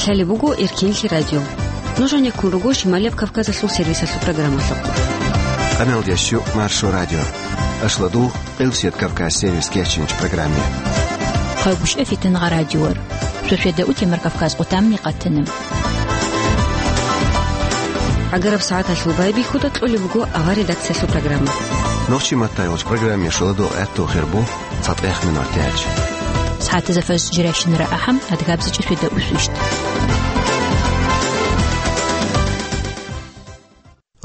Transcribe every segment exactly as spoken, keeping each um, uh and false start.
Лъалеб буго Эркенлъи радио. Нуж гьанеккун руго Шималияб Кавказалъул сервисалъул программалъухъ. Къаналдящу Маршо радио. Ашладу Къилсият Кавказ сервис кечинч программе. Хъагушев Фитнагъа радиор. Шошеда утемар Кавказ къутамни къатана. Агараб сагӀаталъул байбихьуда кьолеб буго ава редакциялъул программа. Нохчи маттайолч программе шоладо гӀатту хербу. ЦатӀехъ минутач. СагӀатазда фажр жирайщинара ахӀам, адгабзичӀеб шведа усвищт.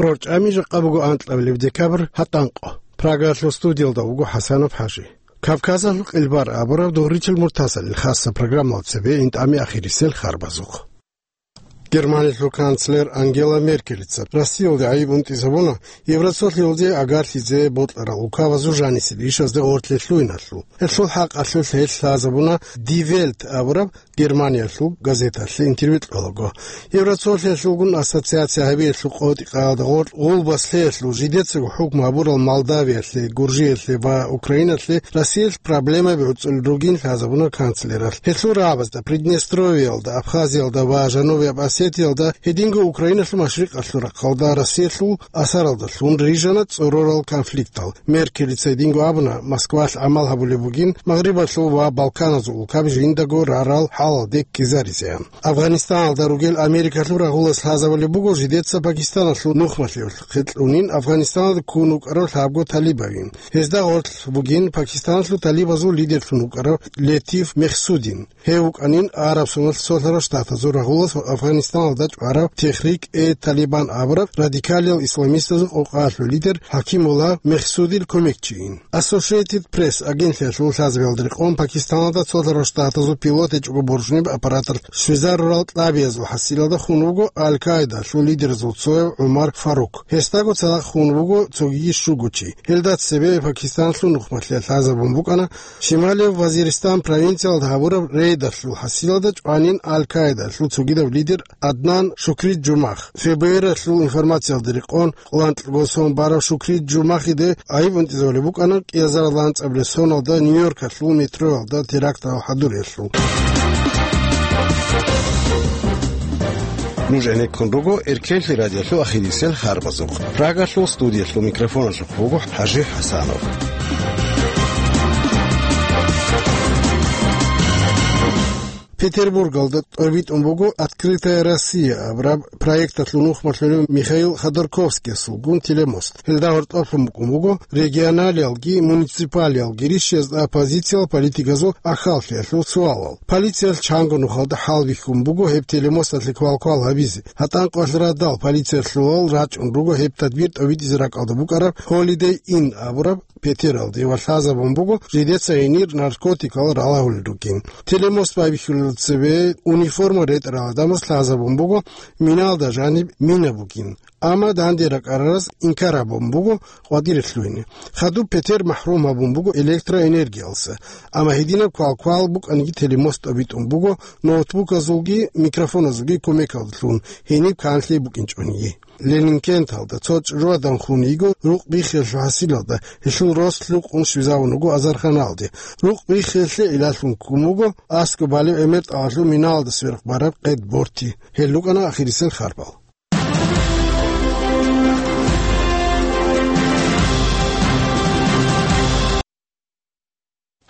РорчӀами жакъа буго анкьабилеб декабрь гьатӀанкъо. Прагалъул студиялда вуго ХӀасанов ХӀажи. Кавказалъул къилбар абураб дугъричил муртазалил хасса программал цебе интӀами ахирисел харбазухъ. Германиялъул канцлер Ангела Меркелица Россиялде гӀайиб унтӀизабуна Евросоюзалде агарлъизе бокьарал указазул жанисел ишазде гъорлъе лъугьиналъул. Гьелъул хӀакъалъулъ гьелъ лъазабуна Die Welt абураб Германиялъул газеталъе интервью кьолаго. Евросоюзалъулгун ассоциация гьабиялъул къотӀи-къагӀалда гъоркь гъулбас лъеялъул жидецаго хӀукму гьабурал Молдавиялъе, Гуржиялъе ва Украиналъе Россиялъ проблемаби гӀуцӀулел ругин лъазабуна канцлералъ. Гьелъул рагӀабазда Приднестровьеялда, Абхазиялда ва Жанубияб Осетиялда, гьединго Украиналъул машрикъалъул рахъалда Россиялъул асаралдалъун рижана цӀорорал конфликтал. Меркелица гьединго абуна, Москвалъ гӀамал гьабулеб бугин Магърибалъул ва Балканазул улкаби жиндаго рарал хӀалалде ккезаризеян. Афганистаналда ругел Америкалъул рагъулас лъазабулеб буго жидеца Пакистаналъул нухмалъиялъухъе кьунин Афганистаналда ккун вукӀарав лъабго талибавин. Гьезда гъорлъ бугин Пакистаналъул талибазул лидерлъун вукӀарав Летиф Мехсудин. Гьев вукӀанин Араб Соналъ цолъарав штатазул рагъулас ва Афганистаналда чӀварав Техрик-э-Талибан абураб радикалиял исламистазул къокъаялъул лидер ХӀакимулла Мехсудил кумекчийин. Associated Press агентлъиялъул лъазабиялда рекъон Пакистаналда цолъарав штатазул пилот гьечӀого боржунеб аппараталъ щвезарурал кьабиязул хӀасилалда хун вуго Аль-Каидалъул лидеразул цояв ГӀумар Фарук. Гьесдаго цадахъ хун вуго цогиги щуго чи. Гьелда цебе Пакистаналъул нухмалъиялъ лъазабун букӀана Шималияб Вазиристан провинциялда гьабураб рейдалъул хӀасилалда чӀванин Аль-Каидалъул цогидаб лидер Аднан Шукри Джумах. ФБР-алъул информациялда рекъон, къоланкьго сон барав Шукри Джумахиде гӀайиб унтӀизабулеб букӀана кӀиазаралда анцӀабилеб соналда Нью-Йоркалъул метроялда терактал хӀадуриялъул. Нуж гӀенеккун руго Эркенлъи радиолъул ахирисел харбазухъ. Прагалъул студиялъул микрофоналъухъ буго ХӀажи ХӀасанов. Петербургалда тӀобитӀун буго «Открытая Россия» абураб проекталъул нухмалъулев Михаил Ходорковскиясулгун телемост. Гьелда гьоркьоблъун букӀун буго регионалиялги муниципалиялги ришшезда оппозициял политиказул ахӀаллъиялъул суалал. Полициялъ чанго нухалда хӀалбихьун буго гьеб телемосталъе квалквал гьабизе. ГьатӀанкъоялъ радал полициялъулал рачӀун руго гьеб тадбир тӀобитӀизе ракӀалда букӀараб Holiday Inn абураб петералде ва лъазабун буго жидеца гьенир наркотикал ралагьулел ругин. Телемост байбихьулел цебе униформа ретӀарал гӀадамаз лъазабун буго миналда жаниб мина бугин. Амма данде ракӀарараз инкар гьабун буго къватӀире лъугьине. Хадуб петер махӀрум гьабун буго электроэнергиялса. Амма гьединаб квалквал букӀаниги телемост тӀобитӀун буго ноутбуказулги микрофоназулги кумекалдалъун гьениб канлъи букӀинчӀониги. Ленинкенталда цо чӀужугӀадан хун йиго рукъ биххиялъул хӀасилалда, гьелъул рос лъукъун щвезавун вуго азарханалде. Рукъ биххиялъе гӀиллалъун ккун вуго аскӀоб балеб гӀемер тӀагӀалъул миналалда сверухъ бараб къед борти. Гьел рукӀана ахирисел харбал.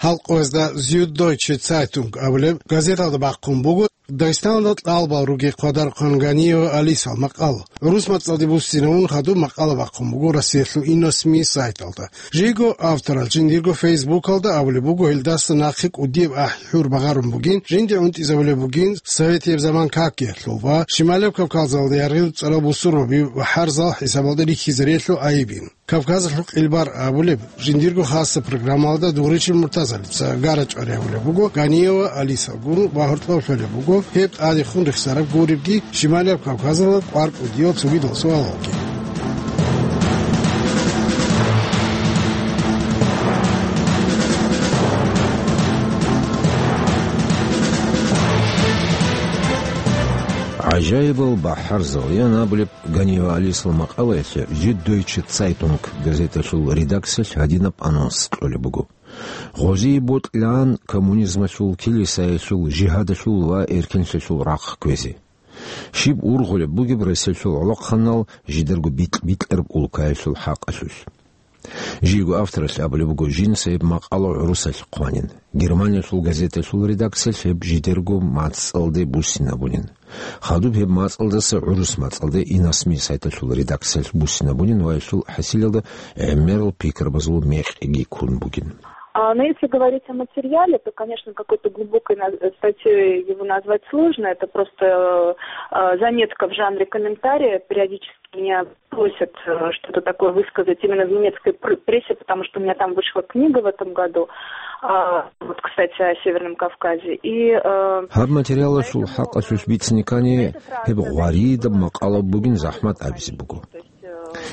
Гьалкъоязда Зюддойче Цайтунг абулеб газеталда бахъун буго Дагъистаналда кьалбал ругел хъвадарухъан Ганиева Алисал макъала. ГӀурус мацӀалде буссинавун хадуб макъала бахъун буго Россиялъул Инносми сайталда. Жиго авторал жиндирго фейсбукалда абулеб буго, гьелдаса нахъе кӀудияб ахӀи-хӀур багъарун бугин, жинде унтӀизабулеб бугин Советияб заман какиялъул ва Шималияб Кавказалда яргъил цӀарал бусурбаби ва хӀарзал хӀисабалда рихьизариялъул гӀайибин. Кавказалъул къилбар абулеб жиндирго хасса программалда дугъричил муртазалица гара чӀвари гьабулеб буго Ганиева Алисалгун ва гьоркьоб лъолеб буго гьеб тӀадехун рехсараб гуребги Шималияб Кавказалда кӀвар кӀудиял цогидал суалалги. ГӀажаибал бахӀарзал ян абулеб Ганиева Алисал макъалаялъе Зюддойче Цайтунг газеталъул редакциялъ гьадинаб анонс кьолеб буго. Гъозие бокьилаан коммунизмалъул, килисаялъул, жигьадалъул ва эркенлъиялъул рахъ кквезе. Щиб ургъулеб бугеб Россиялъул гӀолохъанал жидерго бикь-бикьараб улкаялъул хӀакъалъулъ. Жийго авторалъ абулеб буго, жинца гьеб макъала гӀурусалъ хъванин. Германиялъул газеталъул редакциялъ гьеб жидерго мацӀалде буссинабунин. Хадуб гьеб мацӀалдаса гӀурус мацӀалде Инасми сайталъул редакциялъ буссинабунин ва гьелъул хӀасилалда гӀемерал пикрабазул мекъиги ккун бугин. А, но если говорить о материале, то, конечно, какой-то глубокой на-, статьей его назвать сложно. Это просто, э, заметка в жанре комментария. Периодически меня просят, э, что-то такое высказать именно в немецкой пр-, прессе, потому что у меня там вышла книга в этом году, а, вот, кстати, о Северном Кавказе. И, э, Гьаб материалалъул хӀакъалъулъ бицине ккани, гьеб гъваридаб макъала бугин, захӀмат абизе буго.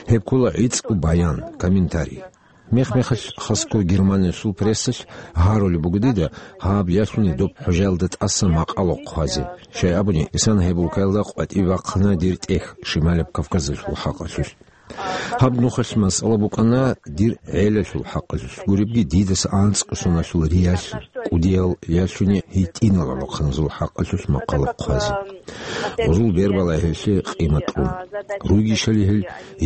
Гьеб ккола гӀицӀго баян, комментарий. Мех-мехалъ хасго Германиялъул прессалъ гьарулеб буго дида гьаб ялъуни доб хӀужаялда тӀаса макъала хъвазе. Щай абуни, исана гьеб улкаялда къватӀибе бахъана дир тӀехь Шималаб Кавказалъул хӀакъалъулъ. Гьаб нухалъ масъала букӀана дир гӀелалъул хӀакъалъулъ, гуребги дидаса анцӀго соналъул риялъ кӀудиял ялъуни гьитӀинал гӀолохъаназул хӀакъалъулъ макъала хъвазе. Гъозул бербала гьелъе къимат кьун. Ругищали гьел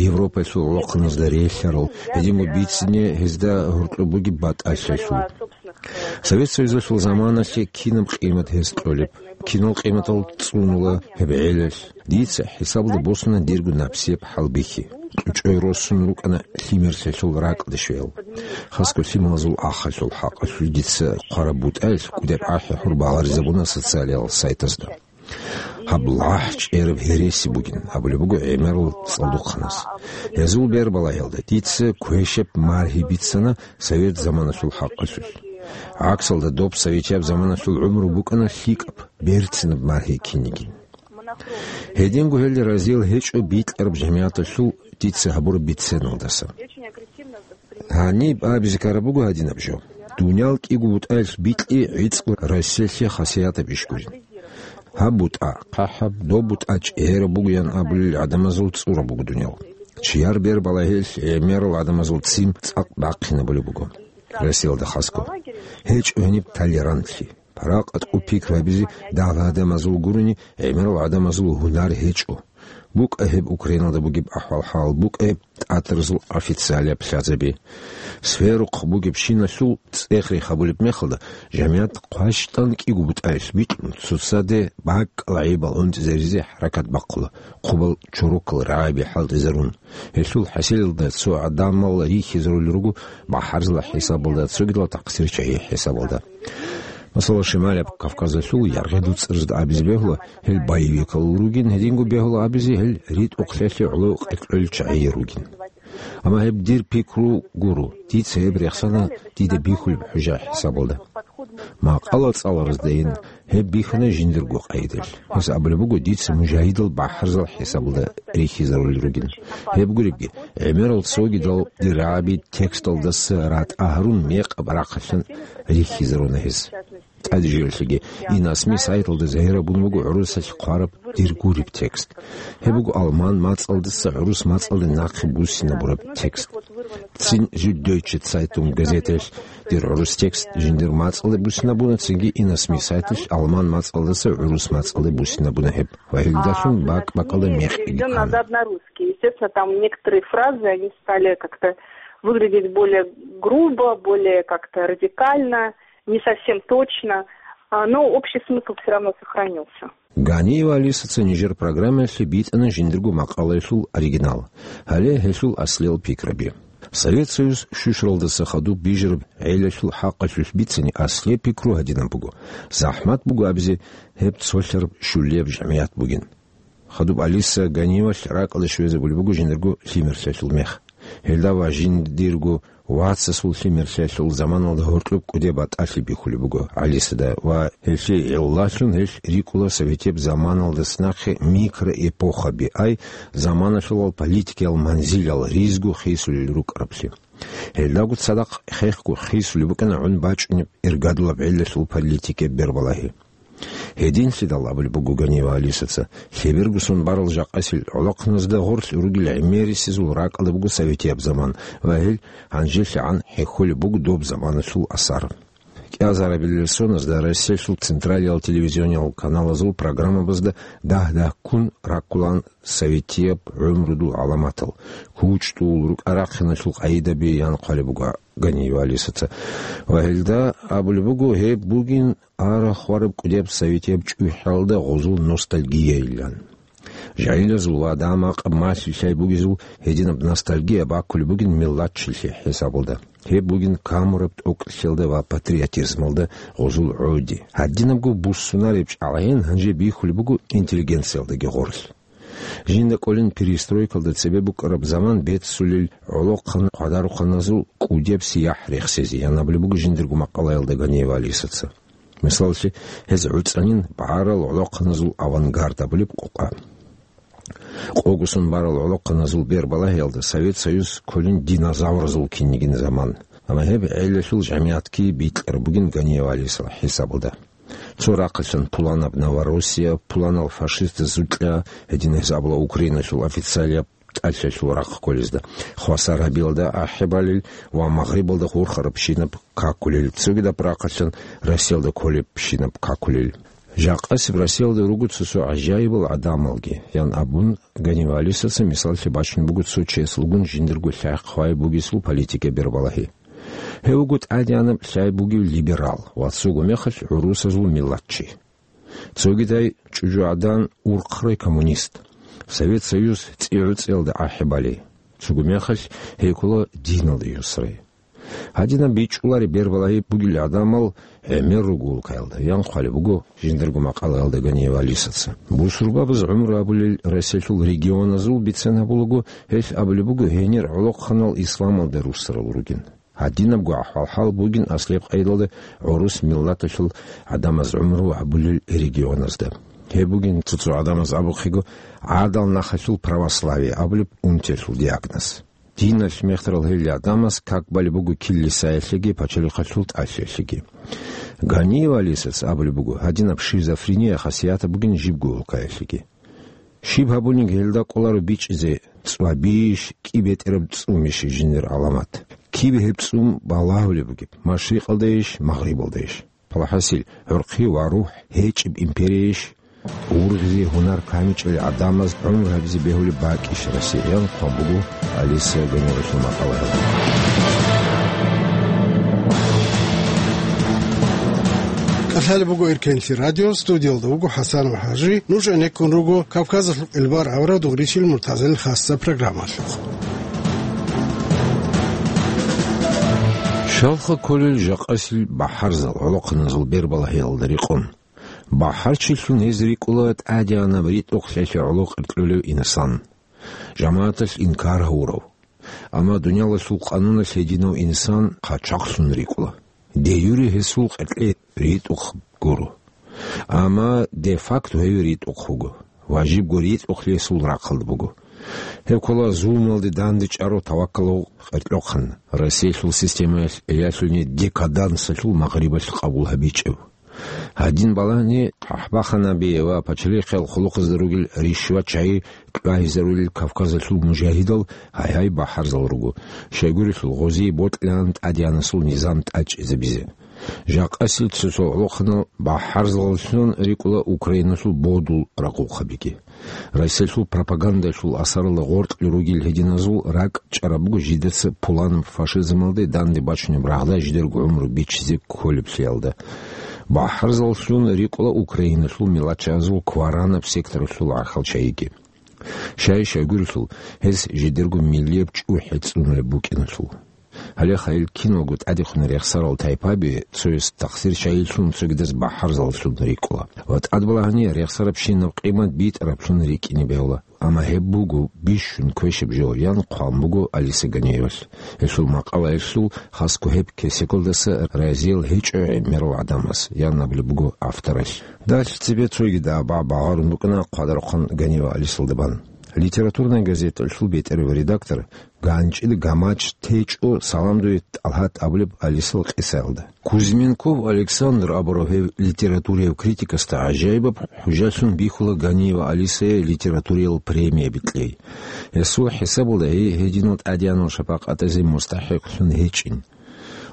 Европалъул гӀолохъаназда релълъарал, гьединго бицине гьезда гьоркьоб бугеб батӀалъиялъул. Совет Союзалъул заманалъе кинаб къимат гьез кьолеб, кинал къиматал цӀунула гьеб гӀелалъ. Дица хӀисабалда босуна дирго напсияб хӀалбихьи. ЧӀучӀой росун рукӀана лъимерлъиялъул ракӀалде щвеял. Хасго лъималазул ахалъул хӀакъалъулъ дица хъвараб бутӀаялъ кӀудеб ахӀи гьур багъаризабуна социалиял сайтазда. Гьаб лъахӀ чӀераб гьереси бугин абулеб буго гӀемерал цӀалдохъанас. Гьезул бербалагьиялда дица квешаб маргьи бицана совет заманалъул хӀакъалъулъ. ГӀаксалда доб советияб заманалъул гӀумру букӀана лъикӀаб, берцинаб маргьи кинигин. Гьединго гьел разиял гьечӀо бикьараб жамигӀаталъул дица гьабураб биценалдаса. Гьаниб абизе ккараб буго гьадинаб жо. Дуниял кӀиго бутӀаялъ бикьи гӀицӀго Россиялъе хасиятаб иш гурин. Гьаб бутӀа хъахӀаб, доб бутӀа чӀераб бугоян абулел гӀадамазул цӀураб буго дуниял. Чияр бербалагьиялъ гӀемерал гӀадамазул ццин цӀакъ бахъинабулеб буго. Россиялда хасго гьечӀо гьениб толерантлъи. Паракъат къу пикру гьабизе дагьал гӀадамазул гурони, гӀемерал гӀадамазул гьунар гьечӀо. БукӀа гьеб Украиналда бугеб ахӀвал-хӀал, букӀа гьеб тӀатаразул официалияб лъазаби. Сверухъ бугебщиналъул цӀех-рех гьабулеб мехалда, жамигӀат хъващтӀан кӀиго бутӀаялъ бикьун, цоцаде бакӀалда гӀайибал гӀунтӀизаризе хӀаракат бахъула, хъубал чорокал рагӀаби хӀалтӀизарун. Гьелъул хӀасилалда цо гӀадамал рихьизарулел руго бахӀарзабазул хӀисабалда, цогидал такъсирчагӀи хӀисабалда. Масала, Шималаб Кавказалъул яргъи дуцӀарзда абизе бегьула, гьел боевикал ругин, гьединго бегьула абизе, гьел ритӀухълъиялъе гӀоло къеркьел чагӀи ругин. Амма гьеб дир пикру гуро, дица гьеб рехсана дида бихьулеб хӀужа хӀисабалда. Макъала цӀалараздайин гьеб бихьана жиндирго къайдалъ. Гьес абулеб буго, дица мужагьидал бахӀарзал хӀисабалда рихьизарулел ругин. Гьеб гуребги, гӀемерал цогидал дир рагӀаби тексталдаса ратӀа гьарун мекъаб рахъалъан рихьизаруна гьес. ТӀаде жиялъеги, Инасми сайталда загьирабун буго гӀурусалъ хъвараб дир гуреб текст. Гьеб буго алман мацӀалдаса гӀурус мацӀалде нахъе буссинабураб текст. Цин Зюддойче Цайтунг газеталъ дир гӀурус текст жиндир мацӀалде буссинабуна, цинги Инасми сайталъ алман мацӀалдаса гӀурус мацӀалде буссинабуна гьеб. Ва гьелдалъун бакӀ-бакӀалда мекъиги ккана. Переведён назад на русский. Естественно, там некоторые фразы, они стали как-то выглядеть более грубо, более как-то радикально, не совсем точно, а, но общий смысл всё равно сохранился. Ганиева Алисаца нижер программаялъе битӀана жиндирго макъалаялъул оригинал, гьале гьелъул аслиял пикраби. Совет Союз щущаралдаса хадуб бижараб гӀелалъул хӀакъалъулъ бицани аслияб пикру гьадинаб буго: захӀмат буго абизе гьеб цолъараб щулияб жамигӀат бугин. Хадуб Алиса Ганиевалъ ракӀалде щвезабулеб буго жиндирго лъимерлъиялъул мех. Гьелда ва жиндирго вацасул лъимерлъиялъул заманалда гьоркьоб кӀудияб батӀалъи бихьулеб буго Алисада ва гьелъие гӀолалъун гьелъ рикӀкӀуна советияб заманалдаса нахъе микроэпохаби, ай заманалъулал политикиял манзилал ризго хисулел рукӀараблъи. Гьелдаго цадахъ хехго хисулеб букӀана гӀун бачӀунеб иргадулаб гӀелалъул политикияб бербалагьи. Гьединлъидал абулеб буго Ганиева Алисаца, лъеберго сон барал жакъасил гӀолохъаназда гъорлъ ругел гӀемерисезул ракӀалда буго советияб заман ва гьел гьанжелъагӀан хӀехьолеб буго доб заманалъул асар. КӀиазарабилел соназда Россиялъул централиял телевизиониял каналазул программабазда дагь-дагьккун раккулаан советияб гӀумрудул гӀаламатал, кучӀдул, рукӀа-рахъиналъул къагӀидаби, ян хъвалеб буго Ганиева Алисаца. Ва гьелда абулеб буго, гьеб бугин арахь-вараб кӀудияб советияб чӀухӀалда гъозул ностальгияйилан. Жагьилазул ва дагьа-макъаб малъи лъай бугезул гьединаб ностальгия баккулеб бугин миллатчилъи хӀисабалда. Гьеб бугин камураб тӀокӀлъиялда ва патриотизмалда гъозул гӀоди. Гьадинабго буссунареб чӀалгӀен гьанже бихьулеб буго интеллигенциялдаги гъорлъ. Жинда кӀолин перестройкалда цебе букӀараб заман беццулел гӀолохъан хъвадарухъаназул кӀудияб сияхӀ рехсезе, ян абулеб буго жиндирго макъалаялда Ганиева Алисаца. Мисаллъи, гьез гӀуцӀанин багӀарал гӀолохъаназул авангард абулеб къокъа. Къогосон барал гӀолохъаназул бербалагьиялда Совет Союз кколин динозавразул кинигин заман. Амма гьеб гӀелалъул жамигӀатги бикьараб бугин Ганиева Алисал хӀисабалда. Цо рахъалъан пуланаб Новороссия, пуланал фашистаз зукьа, гьедин гьез абула Украиналъул официалияб тӀалъалъул рахъ кколезда, хвасар гьабиялда ахӀи балел ва Магърибалда хурхарабщинаб какулел, цогидаб рахъалъан Россиялда кколебщинаб какулел. Жакъасеб Россиялда руго цо-цо гӀажаибал гӀадамалги, ян абун, Ганиева Алисаца мисаллъи бачун буго цо чиясулгун жиндирго лъай хъвай бугесул политика бербалагьи. Гьев вуго тӀадегӀанаб лъай бугев либерал ва цого мехалъ гӀурусазул миллатчи. Цогидай чӀужугӀадан урхърай коммунист. Совет Союз цӀи-гӀуцӀиялда ахӀи балей. Цого мехалъ гьей ккола диналда юсрай. Гьадинаб бичӀчӀулареб бербалагьи бугел гӀадамал гӀемер руго улкаялда, ян хъвалеб буго жиндирго макъалаялда Ганиева Алисаца. Бусурбабаз гӀумру гьабулел Россиялъул регионазул бицен гьабулаго, гьелъ абулеб буго гьенир гӀолохъанал исламалда руссарал ругин. Гьадинабго ахӀвал-хӀал бугин аслияб къайдалда гӀурус миллаталъул гӀадамаз гӀумру гьабулел регионазда. Гьеб бугин цо-цо гӀадамаз абухъего гӀадал нахалъул православие абулеб унтиялъул диагноз. Диналъ мехтарал гьел гӀадамаз как балеб буго килисаялъеги пачалихъалъул тӀалъиялъеги. Ганиева Алисаца абулеб буго, гьадинаб шизофрения хасиятаб бугин жибго улкаялъеги. Щиб гьабунин гьелда кӀоларо бичӀчӀизе, цӀвабищ, кӀи бетӀераб цӀумищ жиндир гӀаламат? Киб гьеб цӀум балагьулеб бугеб, машрикъалдайищ, магърибалдайищ? Палахасил гӀурхъи ва рухӀ гьечӀеб империяйищ? Ургъизе гьунар камичӀел гӀадамаз гӀумру гьабизе бегьулеб бакӀищ Россияян хъван буго Алиса Ганиевалъул макъалаялда. КӀалъалеб буго Эркенлъи радио, студиялда вуго ХӀасанов ХӀажи. Нуж гӀенеккун руго Кавказалъул къилбар авараг Дугъричил Муртазил хасса программалъухъ. Щалха кколел жакъасил бахӀарзал гӀолохъаназул бербалагьиялда рекъон. БахӀарчилъун гьез рикӀкӀула тӀадегӀанаб ритӀухълъиялъе гӀоло къеркьулев инсан. ЖамагӀаталъ инкар гьавурав. Амма дуниялалъул къануналъ гьединав инсан хъачахълъун рикӀкӀула. Де-юре гьесул къеркье ритӀухъ гуро. Амма де-факто гьев ритӀухъ вуго. Важибго ритӀухълъи гьесул рахъалда буго. Гьеб ккола зулмалде дандечӀарав таваккалав къеркьохъан, Россиялъул системаялъ эялъуни декадансалъул Магърибалъ къабул гьабичӀев. Гьадин балагьани, хъахӀбаханаби ва пачалихъал хъулухъазда ругел ришват-чагӀи кьвагьизарулел Кавказалъул мужагьидал гьай-гьай бахӀарзал руго, щайгурелъул гъозие бокьилаан тӀадегӀанасул низам тӀадчӀезабизе. Жакъасил цо-цо гӀолохъанал бахӀарзаллъун рикӀкӀула Украиналъул бодул рагъухъабиги. Россиялъул пропагандалъул асаралда гъоркье ругел гьединазул ракӀ чӀарабго жидеца пуланаб фашизмалде данде бачунеб рагъда жидерго гӀумру бичизе кколеблъиялда. БахӀарзаллъун рикӀкӀула Украиналъул мелачазул кваранаб секторалъул гӀахьал чагӀиги. Щай-щайгурелъул, гьез жидерго миллияб чӀухӀи цӀунулеб букӀиналъул. Гьале гьел киналго тӀадехун рехсарал тайпаби цояс тахсир чагӀилъун цогидаз бахӀарзаллъун рикӀкӀула ва тӀадбалагьани рехсарабщинаб къимат битӀараблъун рикӀкӀине бегьула. Амма гьеб буго бищун квешаб жо, ян хъван буго Алиса Ганиевалъ. Гьелъул макъалаялъул хасго гьеб кесекалдаса разиял гьечӀо гӀемерал гӀадамаз, ян абулеб буго авторалъ. Далъ цебе цоги дагьаб багъарун букӀана хъвадарухъан Ганиева Алисалда бан. Литературная газеталъул бетӀерав редактор ганчӀил гамач течӀо «Салам дуе, ТӀалгьат» абулеб Алисал къисаялда. Кузьминков Александр абурав гьев литературияв критикасда гӀажаибаб хӀужалъун бихьула Ганиева Алисае литературиял премия бикьей. Гьесул хӀисабалда гьей гьединал тӀадеянал шапакъатазе мустахӀикълъун гьечӀин.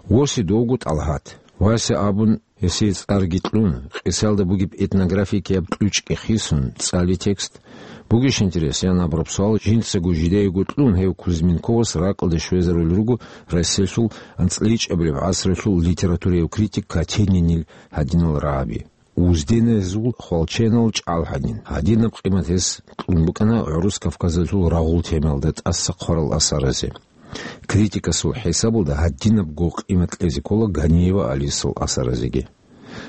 Восе довго ТӀалгьат. Вася абун, гьесие цӀарги кьун, къисалда бугеб этнографикияб кьучӀги хисун, цӀали текст. Бугищ интерес, ян абураб суал жинцаго жидеего кьун, гьев Кузьминковас ракӀалде щвезарулел руго Россиялъул анцӀличӀабилеб гӀасралъул литературияв критик Катенинил гьадинал рагӀаби. Узденазул хвалченал чӀал гьанин. Гьадинаб къимат гьес кьун букӀана ГӀурус Кавказалъул рагъул темаялда тӀаса хъварал асаразе. Критикасул хӀисабалда гьадинабго къимат кьезе ккола Ганиева Алисал асаразеги.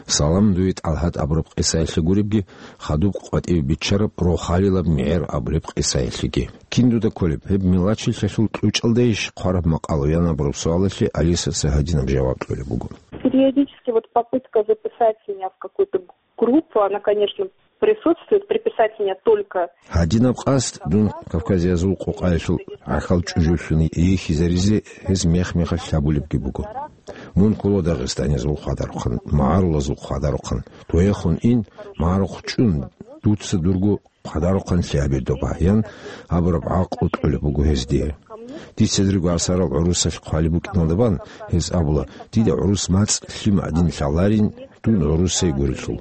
«Салам дуе, ТӀалгьат» абураб къисаялъе гуребги, хадуб къватӀиве биччараб «Рохалилаб мегӀер» абулеб къисаялъеги. Кин дуда кколеб, гьеб мелачлъиялъул кьучӀалдайищ хъвараб макъала, ян абураб суалалъе Алисаца гьадинаб жаваб кьолеб буго. Периодически вот попытка записать меня в какую-то группу, она, конечно, присутствует, приписать меня только... Гьадинаб къасд дун Кавказиязул къокъаялъул гӀахьал чӀужулъун йихьизаризе гьез мех-мехалъ гьабулебги буго. Мун ккола дагъистанизул хъвадарухъан, магӀарулазул хъвадарухъан. Дуехун ин, магӀарухъ чӀун, дуца дурго хъвадарухъан лъабе доба, ян абураб гӀакълу кьолеб буго гьез дие. Дица дирго асарал гӀурусалъ хъвалеб букӀиналда бан, гьез абула: «Дида гӀурус мацӀ лъим гӀадин лъаларин, дун гӀурусай гурелъул».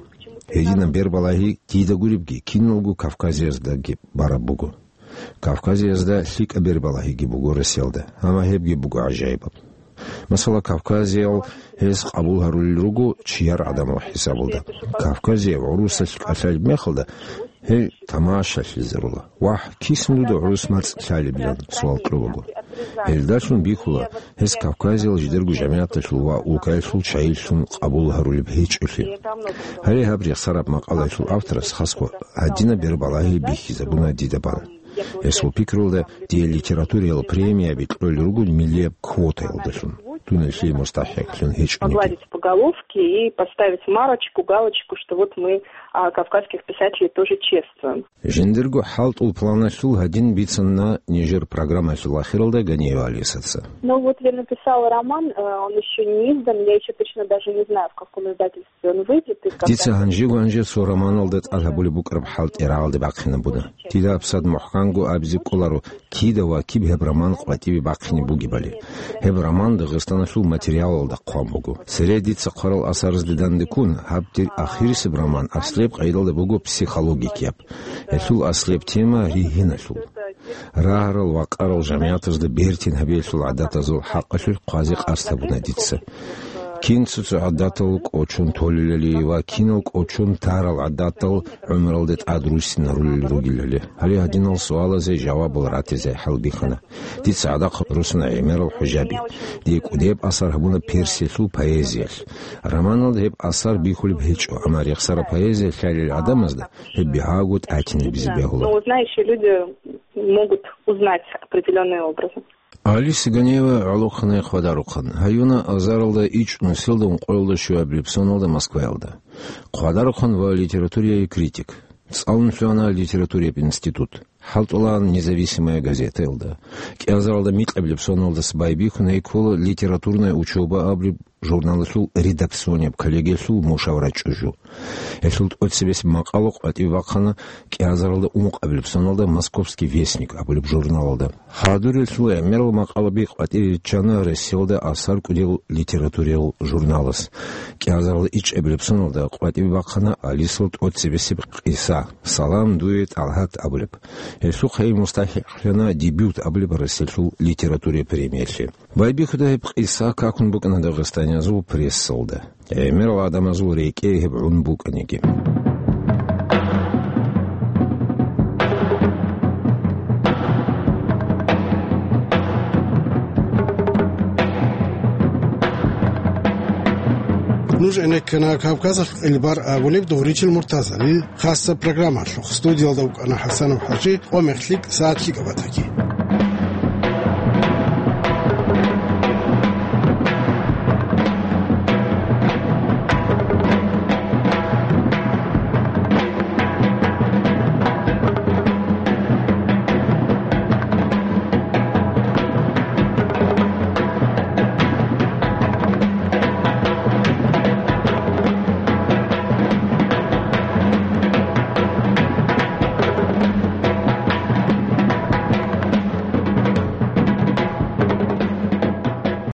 Гьединаб бербалагьи дида гуребги, киналго Кавказияздаги бараб буго. Кавказиязда лъикӀаб бербалагьиги буго Россиялда, амма гьебги буго гӀажаибаб. Масала, кавказиял гьез къабул гьарулел руго чияр гӀадамал хӀисабалда. Кавказияв гӀурусалъ кӀалъалеб мехалда, гьей тамашалъизарула: «Вагь, кисан дуда гӀурус мацӀ лъалебилан?» — суал кьолаго. Гьелдалъун бихьула гьез Кавказиял жидерго жамигӀаталъул ва улкаялъул чайилъун къабул гьарулеб гьечӀолъи. Гьале гьаб рехсараб макъалаялъул авторас хасго гьадинаб бербалагьи бихьизабуна дида бан. Гьесул пикрулда, дие литературиял премияби кьолел руго миллияб квотаялдалъун, дун гьелъие мустахӀикълъун гьечӀониги. Погладить по головке и поставить марочку, галочку, что вот мы, а, кавказских писателей тоже чествуем. Жиндирго хӀалтӀул планалъул гьадин бицана нижер программаялъул ахиралда Ганиева Алисаца. Ну вот я написала роман, э, он ещё не издан, я ещё точно даже не знаю, в каком издательстве он выйдет и когда. Дица гьанжего-гьанже цо романалда тӀад гьабулеб букӀараб хӀалтӀи рагӀалде бахъинабуна. Дида гьабсагӀат мухӀканго абизе кӀоларо, кида ва киб гьеб роман къватӀиве бахъине бугебали. Гьеб роман Дагъистаналъул материалалда хъван буго. Цере дица хъварал асарзде дандеккун, гьаб дир ахирисеб роман аслияб къайдалда буго психологикияб. Гьелъул аслияб тема ригьиналъул. Рагьарал ва къарал жамигӀатазда бертин гьабиялъул гӀадатазул хӀакъалъулъ хъвазе къасд гьабуна дица. Кин цо-цо гӀадатал кӀочон толелали ва кинал кӀочон тарал гӀадатал гӀумралде тӀад руссинарулел ругелали. Гьале гьадинал суалазе жавабал ратизе хӀалбихьана. Дица гӀадахъ русана гӀемерал хӀужаби. Дие кӀудияб асар гьабуна Персиялъул поэзиялъ. Романалда гьеб асар бихьулеб гьечӀо, амма рехсараб поэзия лъалел гӀадамазда гьеб бигьаго тӀатинабизе бегьула. Но знающие люди могут узнать определённые образы. Алиса Ганиева гӀолохъанай хъвадарухъан. Гьаюна азаралда ичӀнусилда ункъоялда щуабилеб соналда Москваялда. Хъвадарухъан ва литературияе критик. ЦӀалун лъугьана литературияб институт. ХӀалтӀулаан «Независимая газетаялда». КӀиазаралда микьабилеб соналдаса байбихьун гьей ккола «Литературная учёба» абулеб журналалъул редакционияб коллегиялъул мушавра чӀужу. Гьелъул тӀоцебесеб макъала къватӀиве бахъана кӀиазаралда ункъабилеб соналда «Московский вестник» абулеб журналалда. Хадурелъул гӀемерал макъалаби къватӀире риччана Россиялда асар кӀудиял литературиял журналас. КӀиазаралда ичӀабилеб соналда къватӀиве бахъана Алисал тӀоцебесеб къиса, «Салам дуе, ТӀалгьат» абулеб. Гьелъухъ гьей мустахӀикълъана «Дебют» абулеб Россиялъул литературиял премиялъе. Байбихьуда гьеб къиса какун букӀана дагъистаниязул прессалда. ГӀемерал гӀадамазул рекӀее гьеб гӀун букӀаниги. Нуж гӀенеккана Кавказалъ кьелбар абулеб Дугъричил Муртазалил хасаб программалъухъ. Студиялда вукӀана ХӀасанов ХӀажи, къо-мех лъикӀ, сагӀат лъикӀаб батаги.